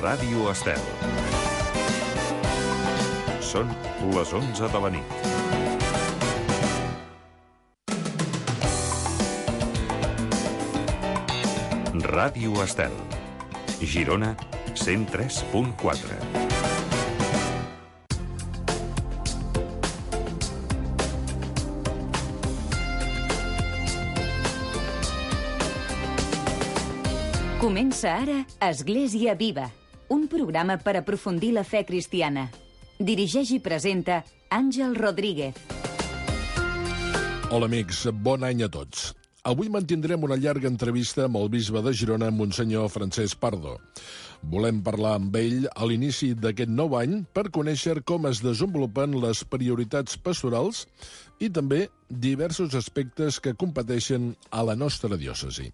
Ràdio Estel. Són les 11 de la nit. Ràdio Estel. Girona, 103.4. Comença ara Església Viva, un programa per aprofundir la fe cristiana. Dirigeix i presenta Àngel Rodríguez. Hola amics, bon any a tots. Avui mantindrem una llarga entrevista amb el bisbe de Girona, Monsenyor Francesc Pardo. Volem parlar amb ell a l'inici d'aquest nou any per conèixer com es desenvolupen les prioritats pastorals i també diversos aspectes que competeixen a la nostra diòcesi.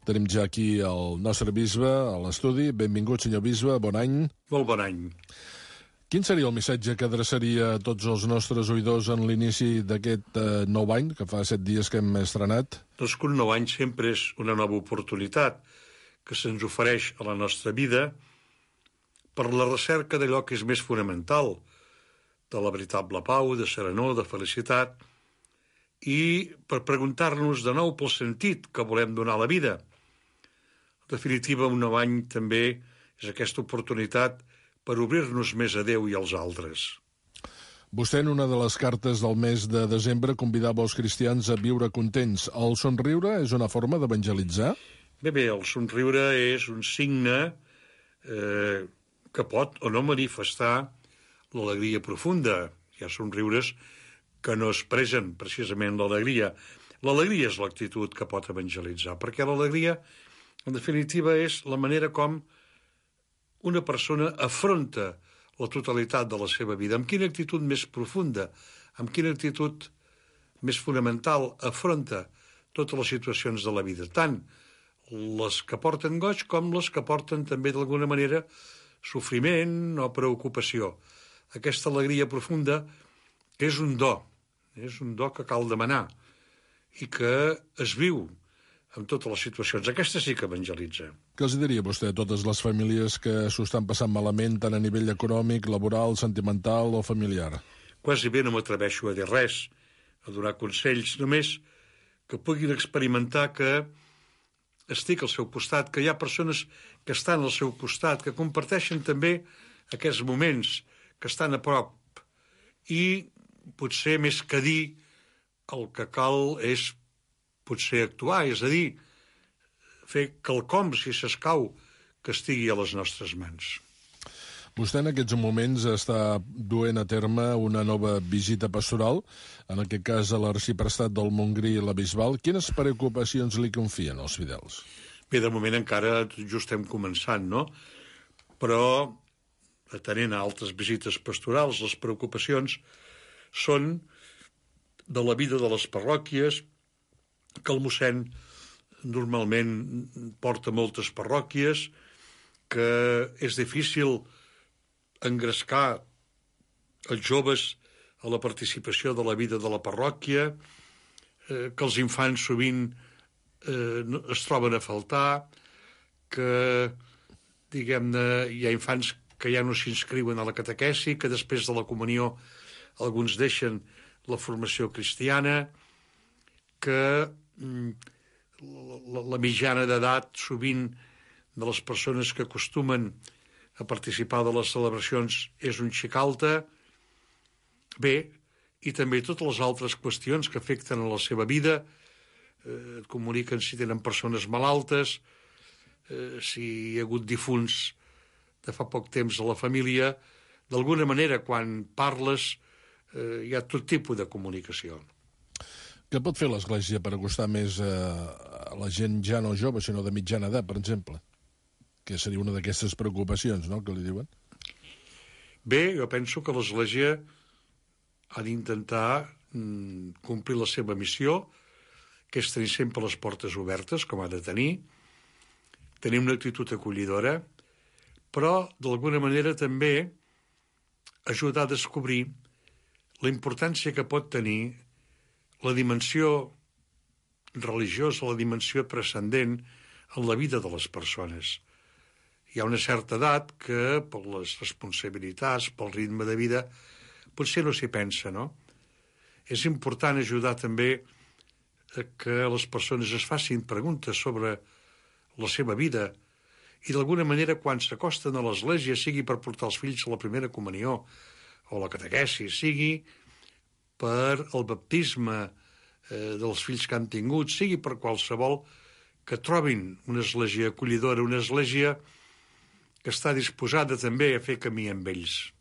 Tenim ja aquí el nostre bisbe a l'estudi. Benvingut, senyor bisbe, bon any. Molt bon any. Quin seria el missatge que adreçaria a tots els nostres oïdors en l'inici d'aquest nou any, que fa 7 dies que hem estrenat? Doncs que un nou any sempre és una nova oportunitat que se'ns ofereix a la nostra vida per la recerca d'allò que és més fonamental, de la veritable pau, de serenor, de felicitat, i per preguntar-nos de nou pel sentit que volem donar a la vida. En definitiva, un nou any també és aquesta oportunitat per obrir-nos més a Déu i als altres. Vostè, en una de les cartes del mes de desembre, convidava els cristians a viure contents. El somriure és una forma d'evangelitzar? Bé, el somriure és un signe que pot o no manifestar l'alegria profunda. Hi ha somriures que no expressen precisament l'alegria. L'alegria és l'actitud que pot evangelitzar, perquè l'alegria, en definitiva, és la manera com una persona afronta la totalitat de la seva vida. Amb quina actitud més profunda, amb quina actitud més fonamental afronta totes les situacions de la vida, tant les que porten goig com les que porten també d'alguna manera sofriment o preocupació. Aquesta alegria profunda és un do que cal demanar i que es viu en totes les situacions. Aquesta sí que evangelitza. Què els diria vostè a totes les famílies que s'ho estan passant malament, tant a nivell econòmic, laboral, sentimental o familiar? Quasi bé no m'atreveixo a dir res, a donar consells, només que puguin experimentar que estic al seu costat, que hi ha persones que estan al seu costat, que comparteixen també aquests moments, que estan a prop. I potser més que dir, el que cal és potser actuar, és a dir, fer quelcom, si s'escau, que estigui a les nostres mans. Vostè en aquests moments està duent a terme una nova visita pastoral, en aquest cas a l'arxiprestat del Montgrí i la Bisbal. Quines preocupacions li confien als fidels? Bé, de moment encara just estem començant, no? Però, atenent a altres visites pastorals, les preocupacions són de la vida de les parròquies, que el mossèn normalment porta moltes parròquies, que és difícil engrescar els joves a la participació de la vida de la parròquia, que els infants sovint es troben a faltar, que, diguem-ne, hi ha infants que ja no s'inscriuen a la catequesi, que després de la comunió alguns deixen la formació cristiana, que la mitjana d'edat sovint de les persones que acostumen a participar de les celebracions és un xic alta. Bé, i també totes les altres qüestions que afecten a la seva vida, et comuniquen si tenen persones malaltes, si hi ha hagut difunts de fa poc temps a la família. D'alguna manera, quan parles, hi ha tot tipus de comunicació. Què pot fer l'Església per acostar més a la gent ja no jove, sinó de mitjana edat, per exemple? Que seria una d'aquestes preocupacions, no?, que li diuen. Bé, jo penso que l'Església ha d'intentar complir la seva missió, que és tenir sempre les portes obertes, com ha de tenir una actitud acollidora, però, d'alguna manera, també ajudar a descobrir la importància que pot tenir la dimensió religiosa, la dimensió transcendent en la vida de les persones. hi ha una certa edat que, per les responsabilitats, pel ritme de vida, potser no s'hi pensa, no? És important ajudar també a que les persones es facin preguntes sobre la seva vida i d'alguna manera quan s'acosten a l'església, sigui per portar els fills a la primera comunió o la catequesi, sigui per el baptisme dels fills que han tingut, sigui per qualsevol, que trobin una església acollidora, una església que està disposada també a fer camí amb ells.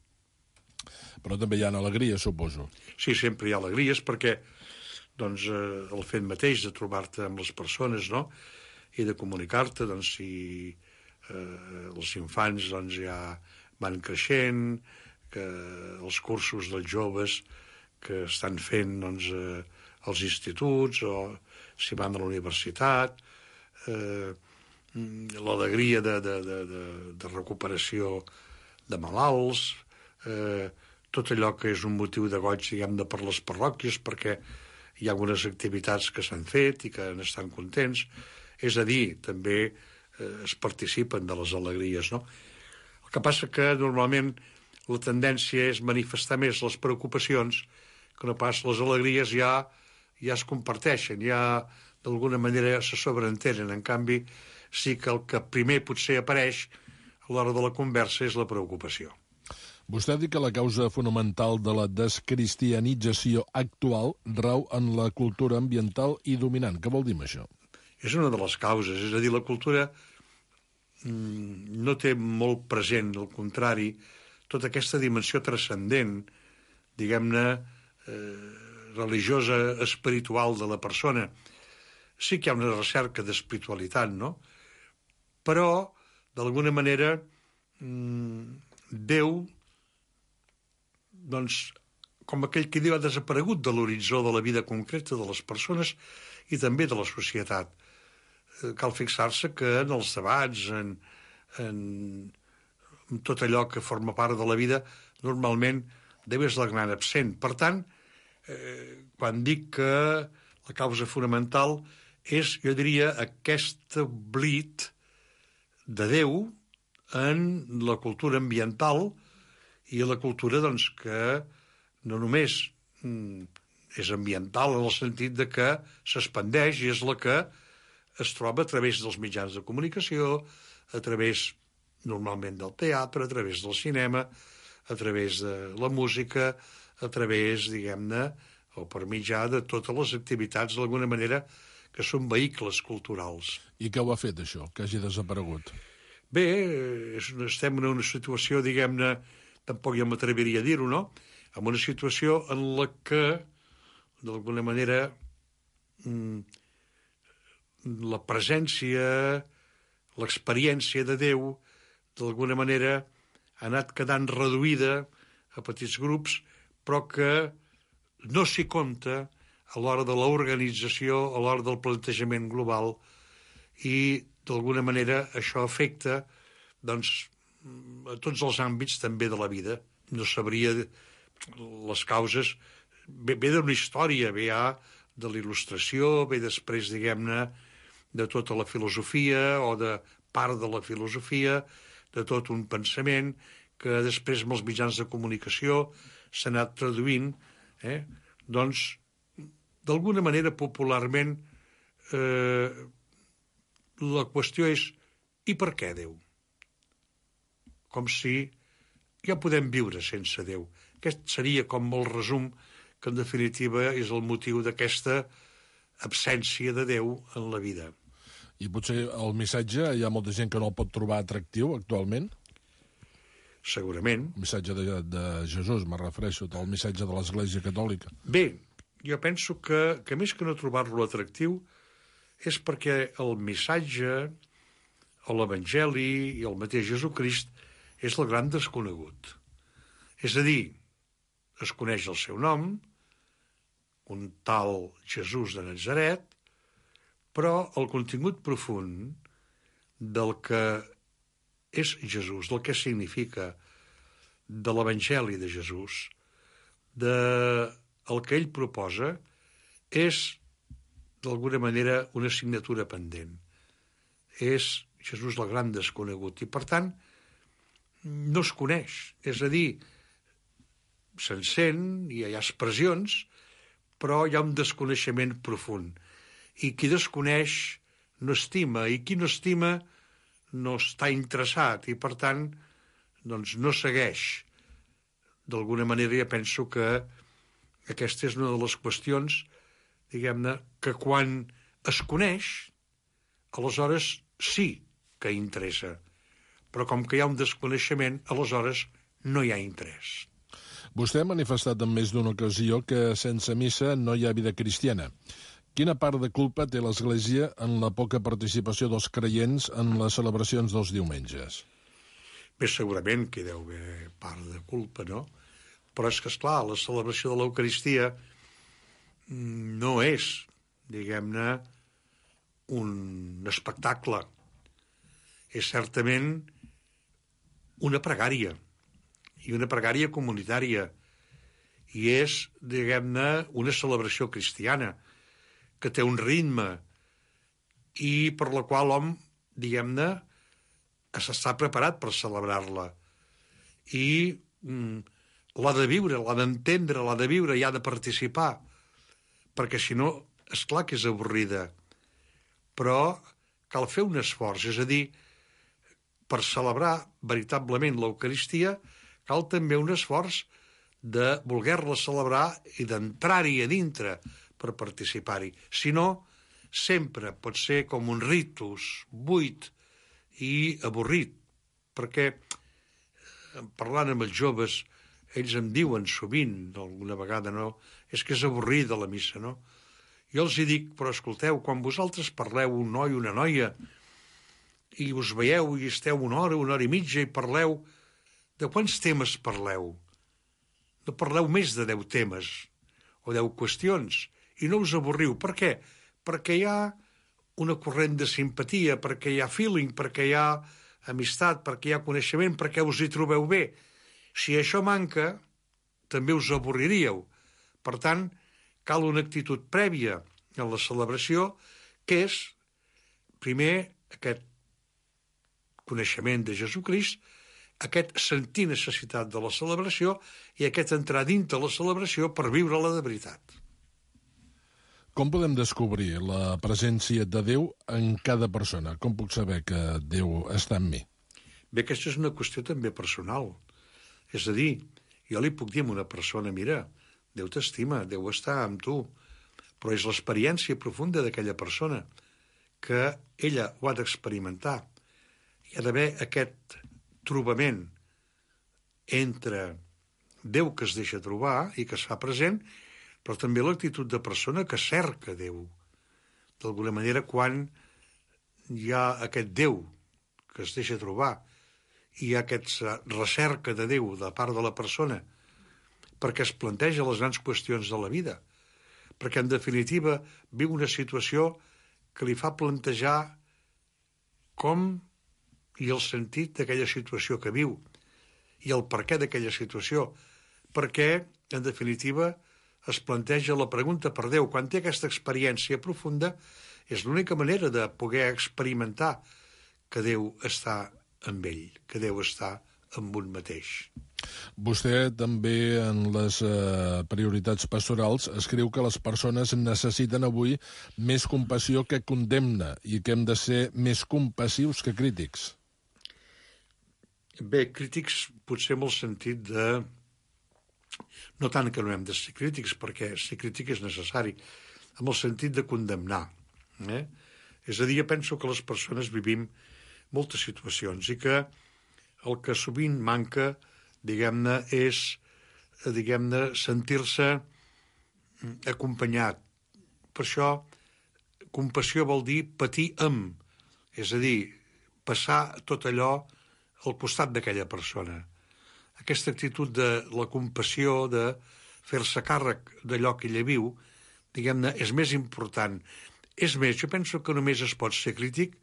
Però també hi ha alegria, suposo. Sí, sempre hi ha alegries perquè doncs, el fet mateix de trobar-te amb les persones, no?, i de comunicar-te, doncs, si els infants doncs, ja van creixent, que els cursos dels joves que estan fent doncs, als instituts o si van a la universitat, l'alegria de recuperació de malalts, tot allò que és un motiu de goig, diguem-ne, per les parròquies, perquè hi ha algunes activitats que s'han fet i que n'estan contents. És a dir, també es participen de les alegries, no? El que passa que normalment la tendència és manifestar més les preocupacions que no pas les alegries ja es comparteixen, ja d'alguna manera se sobreentenen. En canvi, sí que el que primer potser apareix a l'hora de la conversa és la preocupació. Vostè ha dit que la causa fonamental de la descristianització actual rau en la cultura ambiental i dominant. Què vol dir això? És una de les causes, és a dir, la cultura no té molt present, al contrari, tota aquesta dimensió transcendent, diguem-ne, religiosa, espiritual de la persona. Sí que hi ha una recerca d'espiritualitat, no? Però, d'alguna manera, Déu, doncs, com aquell que diu, ha desaparegut de l'horitzó de la vida concreta de les persones i també de la societat. Cal fixar-se que en els debats, en tot allò que forma part de la vida, normalment Déu és la gran absent. Per tant, quan dic que la causa fonamental és, jo diria, aquest oblit de Déu en la cultura ambiental i la cultura, doncs, que no només és ambiental en el sentit de que s'expandeix i és la que es troba a través dels mitjans de comunicació, a través, normalment, del teatre, a través del cinema, a través de la música, a través, diguem-ne, o per mitjà de totes les activitats, d'alguna manera, que són vehicles culturals. I què ho ha fet, això, que hagi desaparegut? Bé, estem en una situació, diguem-ne, tampoc jo m'atreviria a dir-ho, no?, en una situació en la que, d'alguna manera, la presència, l'experiència de Déu, d'alguna manera, ha anat quedant reduïda a petits grups, però que no s'hi compta a l'hora de l'organització, a l'hora del plantejament global, i, d'alguna manera, això afecta, doncs, a tots els àmbits també de la vida. No sabria les causes. Ve d'una història, ve ja de la il·lustració, ve després, diguem-ne, de tota la filosofia o de part de la filosofia, de tot un pensament que després amb els mitjans de comunicació s'ha anat traduint. Doncs, d'alguna manera, popularment, la qüestió és i per què Déu? Com si ja podem viure sense Déu. Aquest seria com el resum que, en definitiva, és el motiu d'aquesta absència de Déu en la vida. I potser el missatge, hi ha molta gent que no el pot trobar atractiu actualment? Segurament. El missatge de Jesús, me refereixo, el missatge de l'Església Catòlica. Bé, jo penso que més que no trobar-lo atractiu és perquè el missatge, o l'Evangeli i el mateix Jesucrist és el gran desconegut. És a dir, es coneix el seu nom, un tal Jesús de Natzaret, però el contingut profund del que és Jesús, del que significa, de l'Evangeli de Jesús, del que ell proposa, és, d'alguna manera, una assignatura pendent. És Jesús el gran desconegut. I, per tant, no es coneix. És a dir, se'n sent, hi ha expressions, però hi ha un desconeixement profund. I qui desconeix no estima, i qui no estima no està interessat, i per tant doncs no segueix. D'alguna manera ja penso que aquesta és una de les qüestions, diguem-ne, que quan es coneix, aleshores sí que interessa. Però com que hi ha un desconeixement, aleshores no hi ha interès. Vostè ha manifestat en més d'una ocasió que sense missa no hi ha vida cristiana. Quina part de culpa té l'Església en la poca participació dels creients en les celebracions dels diumenges? Bé, segurament que hi deu haver part de culpa, no? Però és que, esclar, la celebració de l'Eucaristia no és, diguem-ne, un espectacle. És certament una pregària, i una pregària comunitària, i és, diguem-ne, una celebració cristiana, que té un ritme, i per la qual l'home, diguem-ne, s'està preparat per celebrar-la. I l'ha de viure, l'ha d'entendre, l'ha de viure i ha de participar, perquè si no, esclar que és avorrida. Però cal fer un esforç, és a dir, per celebrar veritablement l'Eucaristia cal també un esforç de voler-la celebrar i d'entrar-hi a dintre per participar-hi. Si no, sempre pot ser com un ritus buit i avorrit, perquè parlant amb els joves, ells em diuen sovint, alguna vegada, no, és que és avorrida la missa, no? Jo els hi dic, però escolteu, quan vosaltres parleu un noi o una noia i us veieu i esteu una hora i mitja i parleu, de quants temes parleu? No parleu més de 10 temes o 10 qüestions i no us avorriu. Per què? Perquè hi ha una corrent de simpatia, perquè hi ha feeling, perquè hi ha amistat, perquè hi ha coneixement, perquè us hi trobeu bé. Si això manca, també us avorriríeu. Per tant, cal una actitud prèvia en la celebració, que és, primer, aquest coneixement de Jesucrist, aquest sentir necessitat de la celebració i aquest entrar dintre la celebració per viure-la de veritat. Com podem descobrir la presència de Déu en cada persona? Com puc saber que Déu està en mi? Bé, aquesta és una qüestió també personal. És a dir, jo li puc dir a una persona, mira, Déu t'estima, Déu està amb tu, però és l'experiència profunda d'aquella persona que ella ho ha d'experimentar. Hi ha d'haver aquest trobament entre Déu que es deixa trobar i que es fa present, però també l'actitud de persona que cerca Déu. D'alguna manera, quan hi ha aquest Déu que es deixa trobar i hi ha aquesta recerca de Déu de part de la persona perquè es planteja les grans qüestions de la vida, perquè en definitiva viu una situació que li fa plantejar com i el sentit d'aquella situació que viu i el perquè d'aquella situació, perquè en definitiva es planteja la pregunta per Déu. Quan té aquesta experiència profunda, és l'única manera de poder experimentar que Déu està amb ell, que Déu està amb un mateix. Vostè també en les prioritats pastorals escriu que les persones necessiten avui més compassió que condemna i que hem de ser més compassius que crítics. Bé, crítics potser amb el sentit de... No tant que no hem de ser crítics, perquè ser crític és necessari, amb el sentit de condemnar. És a dir, jo penso que les persones vivim moltes situacions i que el que sovint manca, diguem-ne, és sentir-se acompanyat. Per això, compassió vol dir patir amb, és a dir, passar tot allò al costat d'aquella persona. Aquesta actitud de la compassió, de fer-se càrrec d'allò que ella viu, diguem-ne, és més important. És més, jo penso que només es pot ser crític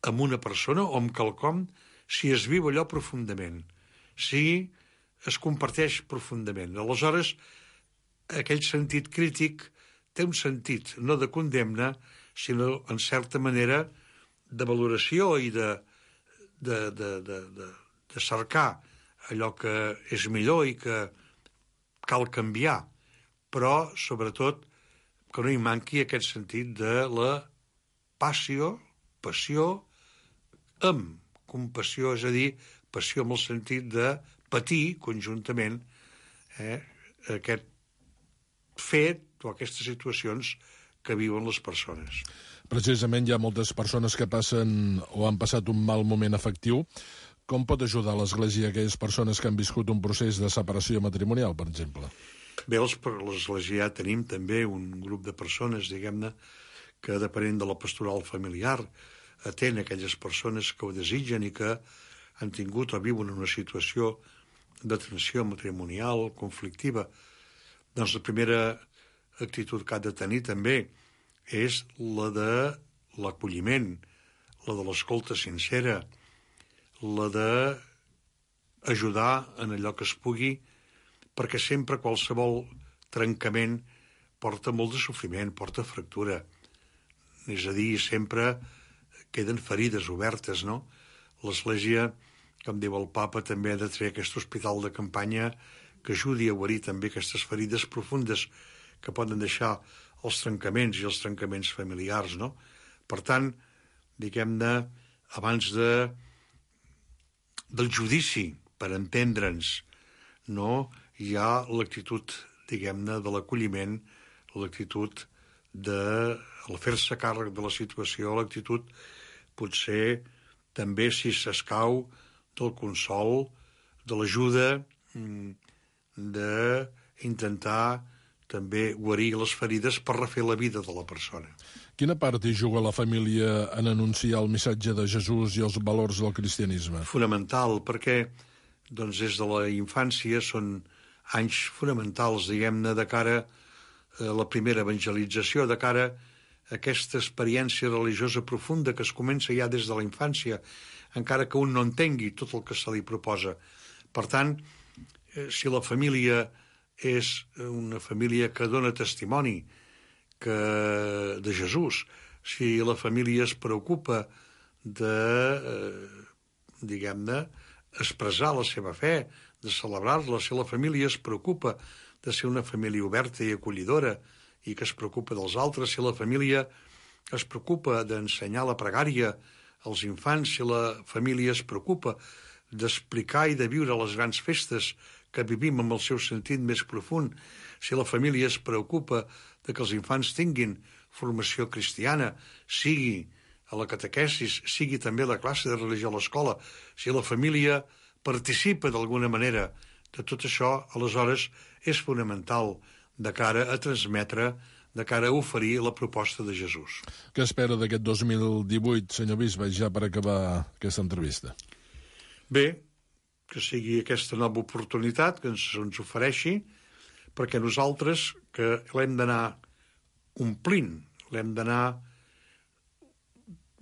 amb una persona o amb quelcom si es viu allò profundament, si es comparteix profundament. Aleshores, aquell sentit crític té un sentit no de condemna, sinó, en certa manera, de valoració i de cercar allò que és millor i que cal canviar, però, sobretot, que no hi manqui aquest sentit de la passió amb compassió, és a dir, passió amb el sentit de patir conjuntament aquest fet o aquestes situacions que viuen les persones. Precisament hi ha moltes persones que passen o han passat un mal moment afectiu. Com pot ajudar l'Església a aquelles persones que han viscut un procés de separació matrimonial, per exemple? Bé, l'Església ja tenim també un grup de persones, diguem-ne, que depenent de la pastoral familiar atén aquelles persones que ho desitgen i que han tingut o viuen una situació de tensió matrimonial, conflictiva. Doncs la primera actitud que ha de tenir també és la de l'acolliment, la de l'escolta sincera, la d'ajudar en allò que es pugui, perquè sempre qualsevol trencament porta molt de sofriment, porta fractura. És a dir, sempre queden ferides obertes, no? L'Església, com diu el Papa, també ha de treure aquest hospital de campanya que ajudi a guarir també aquestes ferides profundes que poden deixar els trencaments i els trencaments familiars, no? Per tant, diguem-ne, abans del judici, per entendre'ns, no? Hi ha l'actitud, diguem-ne, de l'acolliment, l'actitud de fer-se càrrec de la situació, l'actitud, potser, també, si s'escau, del consol, de l'ajuda, d'intentar també guarir les ferides per refer la vida de la persona. Quina part hi juga la família en anunciar el missatge de Jesús i els valors del cristianisme? Fonamental, perquè doncs, des de la infància són anys fonamentals, diguem-ne, de cara a la primera evangelització, de cara a aquesta experiència religiosa profunda que es comença ja des de la infància, encara que un no entengui tot el que se li proposa. Per tant, si la família és una família que dona testimoni de Jesús, si la família es preocupa de, diguem-ne, expressar la seva fe, de celebrar-la, si la família es preocupa de ser una família oberta i acollidora i que es preocupa dels altres, si la família es preocupa d'ensenyar la pregària als infants, si la família es preocupa d'explicar i de viure les grans festes que vivim amb el seu sentit més profund, si la família es preocupa de que els infants tinguin formació cristiana, sigui a la catequesis, sigui també a la classe de religió a l'escola, si la família participa d'alguna manera de tot això, aleshores és fonamental de cara a transmetre, de cara a oferir la proposta de Jesús. Què espera d'aquest 2018, senyor bisbe, ja per acabar aquesta entrevista? Bé, que sigui aquesta nova oportunitat que ens ofereixi, perquè nosaltres que l'hem d'anar omplint, l'hem d'anar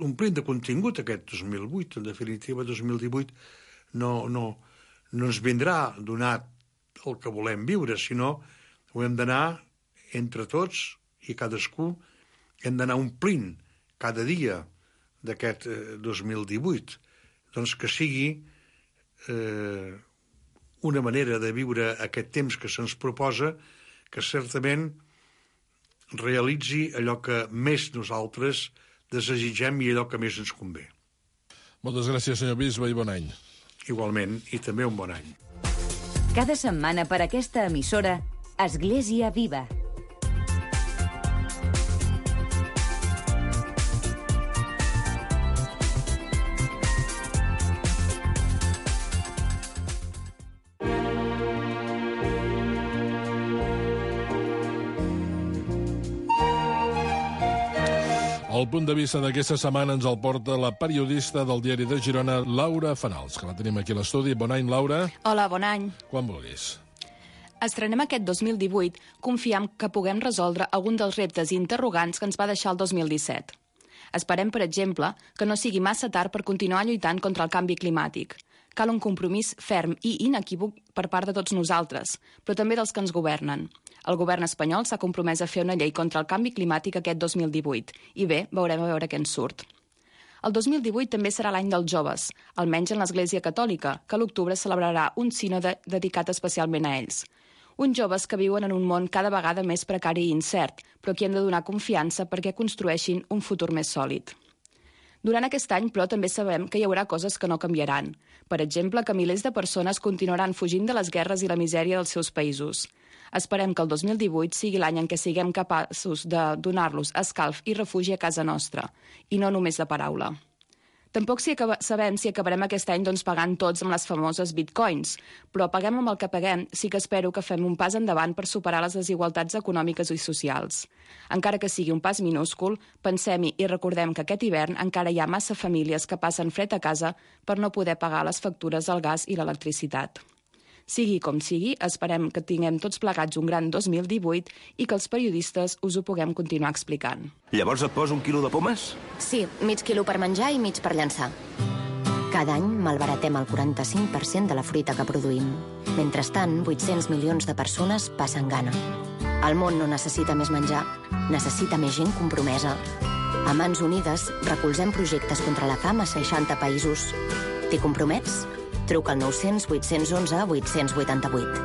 omplint de contingut aquest 2008, en definitiva 2018 no ens vindrà donat el que volem viure, sinó ho hem d'anar entre tots i cadascú hem d'anar omplint cada dia d'aquest 2018. Doncs que sigui una manera de viure aquest temps que se'ns proposa que certament realitzi allò que més nosaltres desitgem i allò que més ens convé. Moltes gràcies, senyor bisbe, i bon any. Igualment, i també un bon any. Cada setmana per aquesta emissora, Església Viva. El punt de vista d'aquesta setmana ens el porta la periodista del Diari de Girona, Laura Fanals, que la tenim aquí a l'estudi. Bon any, Laura. Hola, bon any. Quan vulguis. Estrenem aquest 2018 confiant que puguem resoldre algun dels reptes i interrogants que ens va deixar el 2017. Esperem, per exemple, que no sigui massa tard per continuar lluitant contra el canvi climàtic. Cal un compromís ferm i inequívoc per part de tots nosaltres, però també dels que ens governen. El govern espanyol s'ha compromès a fer una llei contra el canvi climàtic aquest 2018 i bé, veurem a veure què ens surt. El 2018 també serà l'any dels joves, almenys en l'Església Catòlica, que a l'octubre celebrarà un sínode dedicat especialment a ells. Uns joves que viuen en un món cada vegada més precari i incert, però que hem de donar confiança perquè construeixin un futur més sòlid. Durant aquest any, però, també sabem que hi haurà coses que no canviaran. Per exemple, que milers de persones continuaran fugint de les guerres i la misèria dels seus països. Esperem que el 2018 sigui l'any en què siguem capaços de donar-los escalf i refugi a casa nostra, i no només de paraula. Tampoc sabem si acabarem aquest any pagant tots amb les famoses bitcoins, però paguem amb el que paguem, sí que espero que fem un pas endavant per superar les desigualtats econòmiques i socials. Encara que sigui un pas minúscul, pensem-hi i recordem que aquest hivern encara hi ha massa famílies que passen fred a casa per no poder pagar les factures del gas i l'electricitat. Sigui com sigui, esperem que tinguem tots plegats un gran 2018 i que els periodistes us ho puguem continuar explicant. Llavors et poso 1 quilo de pomes? Sí, mig quilo per menjar i mig per llançar. Cada any malbaratem el 45% de la fruita que produïm. Mentrestant, 800 milions de persones passen gana. El món no necessita més menjar, necessita més gent compromesa. A Mans Unides recolzem projectes contra la fam a 60 països. T'hi compromets? Truca al 900 811 888.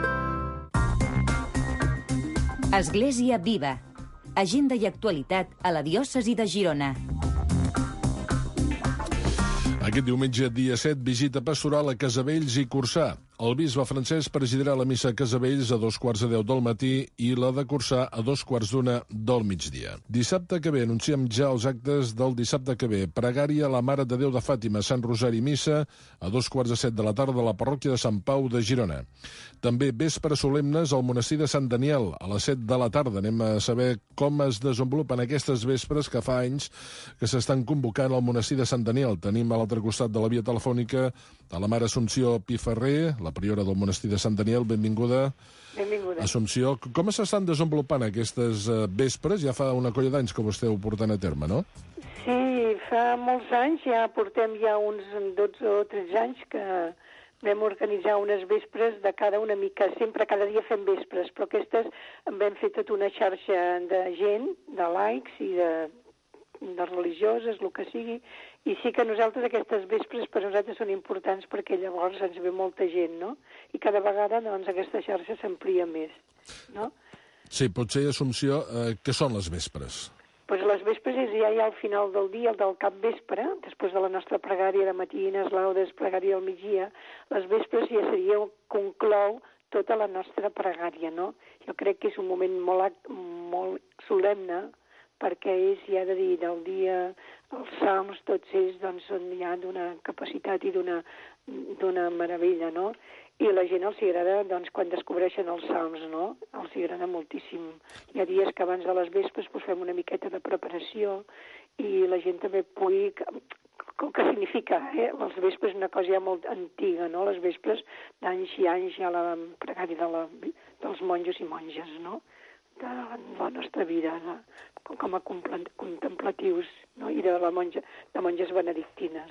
Església Viva. Agenda i actualitat a la diòcesi de Girona. Aquest diumenge, dia 7, visita pastoral a Casavells i Corçà. El bisbe Francesc presidirà la missa a Casavells a 2:15 del matí i la de Corçà a 2:15 del migdia. Dissabte que ve, anunciem ja els actes del dissabte que ve. Pregària a la Mare de Déu de Fàtima, Sant Rosari Missa, a 2:15 de la tarda a la parròquia de Sant Pau de Girona. També vespres solemnes al monestir de Sant Daniel, a les 7 de la tarda. Anem a saber com es desenvolupen aquestes vespres que fa anys que s'estan convocant al monestir de Sant Daniel. Tenim a l'altre costat de la via telefònica a la Mare Assumpció Piferrer, la priora del monestir de Sant Daniel. Benvinguda. Benvinguda. Assumpció, com s'estan desenvolupant aquestes vespres? Ja fa una colla d'anys que ho esteu portant a terme, no? Sí, fa molts anys, ja portem uns 12 o 13 anys que vam organitzar unes vespres de una mica, sempre cada dia fem vespres, però aquestes vam fer tota una xarxa de gent, de laics i de religioses, el que sigui, i sí que nosaltres aquestes vespres per nosaltres són importants perquè llavors ens ve molta gent, no? I cada vegada aquesta xarxa s'amplia més, no? Sí, potser, Assumpció, què són les vespres? Doncs les vespres és ja al final del dia, el del capvespre, després de la nostra pregària de matines, laudes, pregària al migdia, les vespres ja seria conclou tota la nostra pregària, no? Jo crec que és un moment molt solemne, perquè és, ja de dir, del dia, els salms, tots ells, són ja d'una capacitat i d'una meravella, no? I a la gent els agrada, quan descobreixen els salms, no? Els agrada moltíssim. Hi ha dies que abans de les vespres fem una miqueta de preparació i la gent també pugui... Què significa, Les vespres és una cosa ja molt antiga, no? Les vespres d'anys i anys ja la pregària dels monjos i monges, no? De la nostra vida, com a contemplatius, no? I de monges benedictines.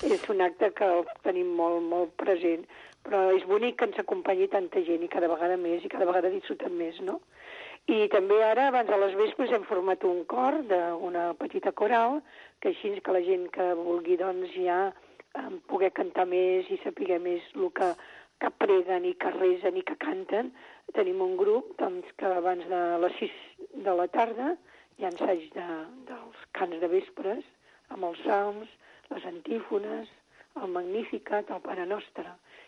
És un acte que el tenim molt, molt present, però és bonic que ens acompanyi tanta gent i cada vegada més i cada vegada disfrutem més, no? I també ara, abans de les vespres, hem format un cor d'una petita coral, que així que la gent que vulgui ja poder cantar més i saber més el que preguen i que resen i que canten. Tenim un grup que abans de les 6 de la tarda hi ha ensaig dels cants de vespres, amb els salms, les antífones, el Magnificat, el Pare Nostre,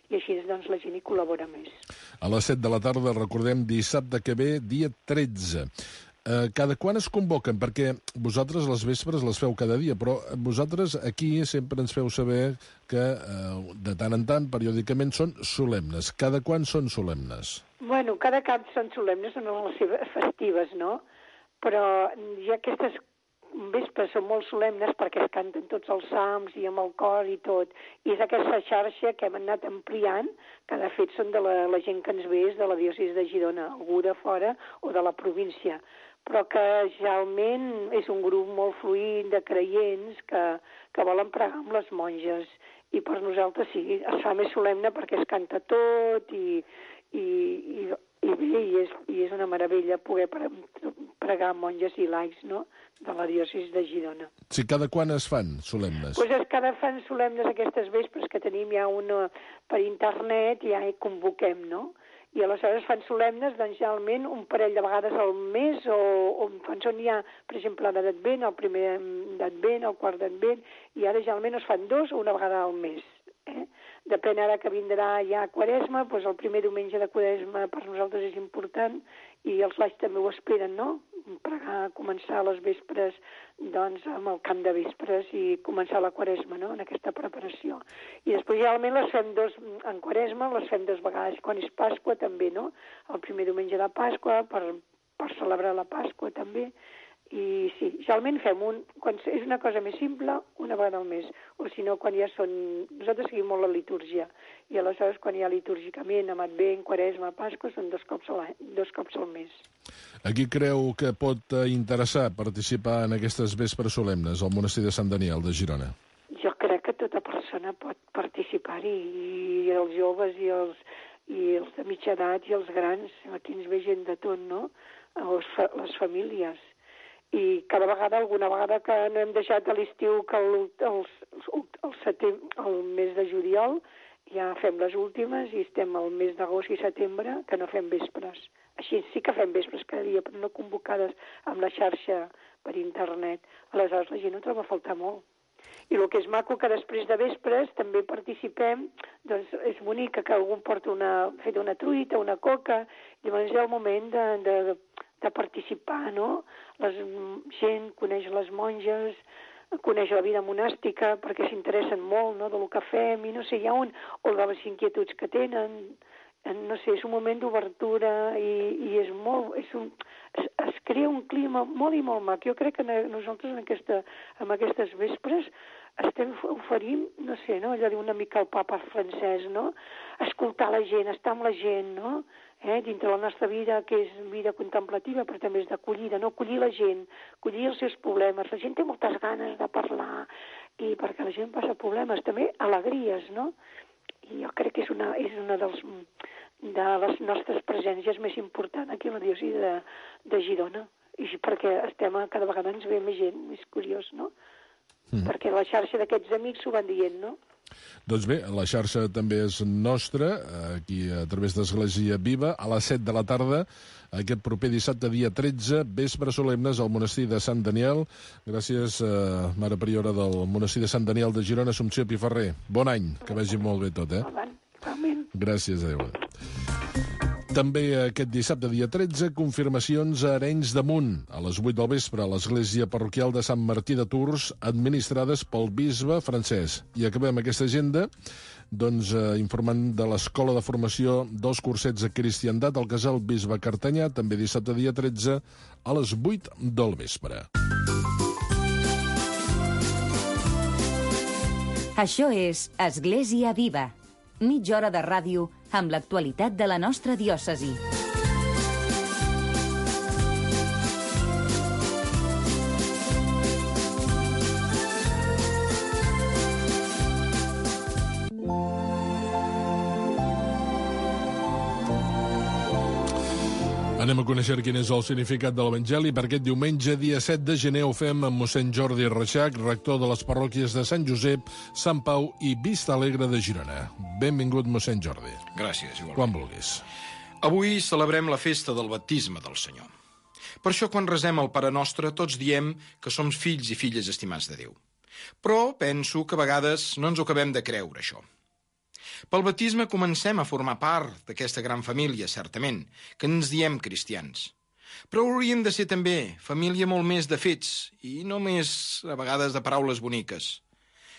i així la gent hi col·labora més. A les 7 de la tarda, recordem, dissabte que ve, dia 13. Cada quan es convoquen? Perquè vosaltres les vespres les feu cada dia, però vosaltres aquí sempre ens feu saber que de tant en tant, periòdicament, són solemnes. Cada quan són solemnes? Bueno, cada cap són solemnes, són les festives, no? Però ja aquestes vespres són molt solemnes perquè es canten tots els salms i amb el cor i tot. I és aquesta xarxa que hem anat ampliant, que de fet són de la gent que ens ve és de la diòcesi de Girona, algú de fora o de la província, però que realment és un grup molt fluid de creients que volen pregar amb les monges. I per nosaltres sí, es fa més solemne perquè es canta tot i bé, i és una meravella poder pregar monges i laics, no?, de la diòcesi de Girona. Sí, cada quan es fan solemnes? Doncs cada fan solemnes aquestes vespres que tenim ja una per internet, ja hi convoquem, no? I aleshores fan solemnes, doncs, generalment, un parell de vegades al mes, o quan són ja, per exemple, l'Advent, el primer d'Advent, el quart d'Advent, i ara generalment es fan 2 o una vegada al mes. Depèn ara que vindrà ja Quaresma, doncs el primer diumenge de Quaresma per nosaltres és important, i els laics també ho esperen, no?, pregar, començar les vespres, doncs, amb el cant de vespres i començar la Quaresma, no?, en aquesta preparació. I després, generalment, les fem en Quaresma, les fem 2 vegades. Quan és Pasqua, també, no?, el primer diumenge de Pasqua, per celebrar la Pasqua, també. I sí, generalment fem quan és una cosa més simple, una vegada al mes, o si no, quan ja són... Nosaltres seguim molt la litúrgia, i aleshores quan hi ha litúrgicament, amb Advent, Quaresma, Pasqua, són 2 cops al mes. A qui creu que pot interessar participar en aquestes vespres solemnes al monestir de Sant Daniel de Girona? Jo crec que tota persona pot participar-hi, i els joves, i els de mitja edat, i els grans. Aquí ens ve gent de tot, no?, les famílies. I cada vegada, alguna vegada que no hem deixat a l'estiu, que el mes de juliol ja fem les últimes, i estem al mes d'agost i setembre que no fem vespres. Així sí que fem vespres cada dia, però no convocades amb la xarxa per internet. Aleshores la gent ho troba a faltar molt. I el que és maco, que després de vespres també participem, doncs és bonic que algú porta una truita, una coca, llavors és el moment de participar, no? La gent coneix les monges, coneix la vida monàstica, perquè s'interessen molt, no?, del que fem, i no sé, hi ha o de les inquietuds que tenen, no sé, és un moment d'obertura, i és molt... Es crea un clima molt i molt mac. Jo crec que nosaltres en aquestes vespres estem oferint, no sé, no?, allò diu una mica el papa francès, no?, escoltar la gent, estar amb la gent, no?, dintre la nostra vida, que és vida contemplativa, però també és d'acollida, no?, acollir la gent, acollir els seus problemes. La gent té moltes ganes de parlar, i perquè la gent passa problemes, també alegries, no? I jo crec que és una de les nostres presències més important aquí a la diòcesi de Girona, i perquè cada vegada ens ve més gent, més curiós, no? Perquè la xarxa d'aquests amics s'ho van dient, no? Doncs bé, la xarxa també és nostra, aquí a través d'Església Viva, a les 7 de la tarda, aquest proper dissabte, dia 13, vespre solemnes al monestir de Sant Daniel. Gràcies, mare priora del monestir de Sant Daniel de Girona, Assumpció Piferrer. Bon any, que vagi molt bé tot, Gràcies, adéu. També aquest dissabte, dia 13, confirmacions a Arenys de Munt, a les 8 del vespre, a l'església parroquial de Sant Martí de Tours, administrades pel bisbe Francesc. I acabem aquesta agenda informant de l'Escola de Formació dels Cursets de Cristiandat al Casal Bisbe Cartanyà, també dissabte, dia 13, a les 8 del vespre. Això és Església Viva. Mitja hora de ràdio amb l'actualitat de la nostra diòcesi. Anem a conèixer quin és el significat de l'Evangeli per aquest diumenge, dia 7 de gener. Ho fem amb mossèn Jordi Reixac, rector de les parròquies de Sant Josep, Sant Pau i Vista Alegre de Girona. Benvingut, mossèn Jordi. Gràcies, igualment. Quan vulguis. Avui celebrem la festa del baptisme del Senyor. Per això, quan resem el Pare Nostre, tots diem que som fills i filles estimats de Déu. Però penso que a vegades no ens ho acabem de creure, això. Pel baptisme comencem a formar part d'aquesta gran família, certament, que ens diem cristians. Però hauríem de ser també família molt més de fets i no més, a vegades, de paraules boniques.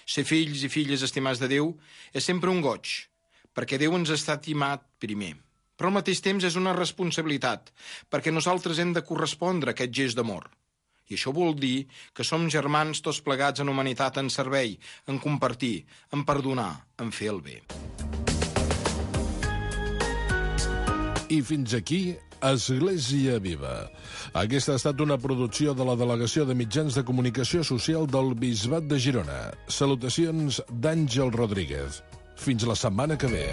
Ser fills i filles estimats de Déu és sempre un goig, perquè Déu ens està estimat primer. Però al mateix temps és una responsabilitat, perquè nosaltres hem de correspondre a aquest gest d'amor. I això vol dir que som germans tots plegats en humanitat, en servei, en compartir, en perdonar, en fer el bé. I fins aquí, Església Viva. Aquesta ha estat una producció de la Delegació de Mitjans de Comunicació Social del Bisbat de Girona. Salutacions d'Àngel Rodríguez. Fins la setmana que ve.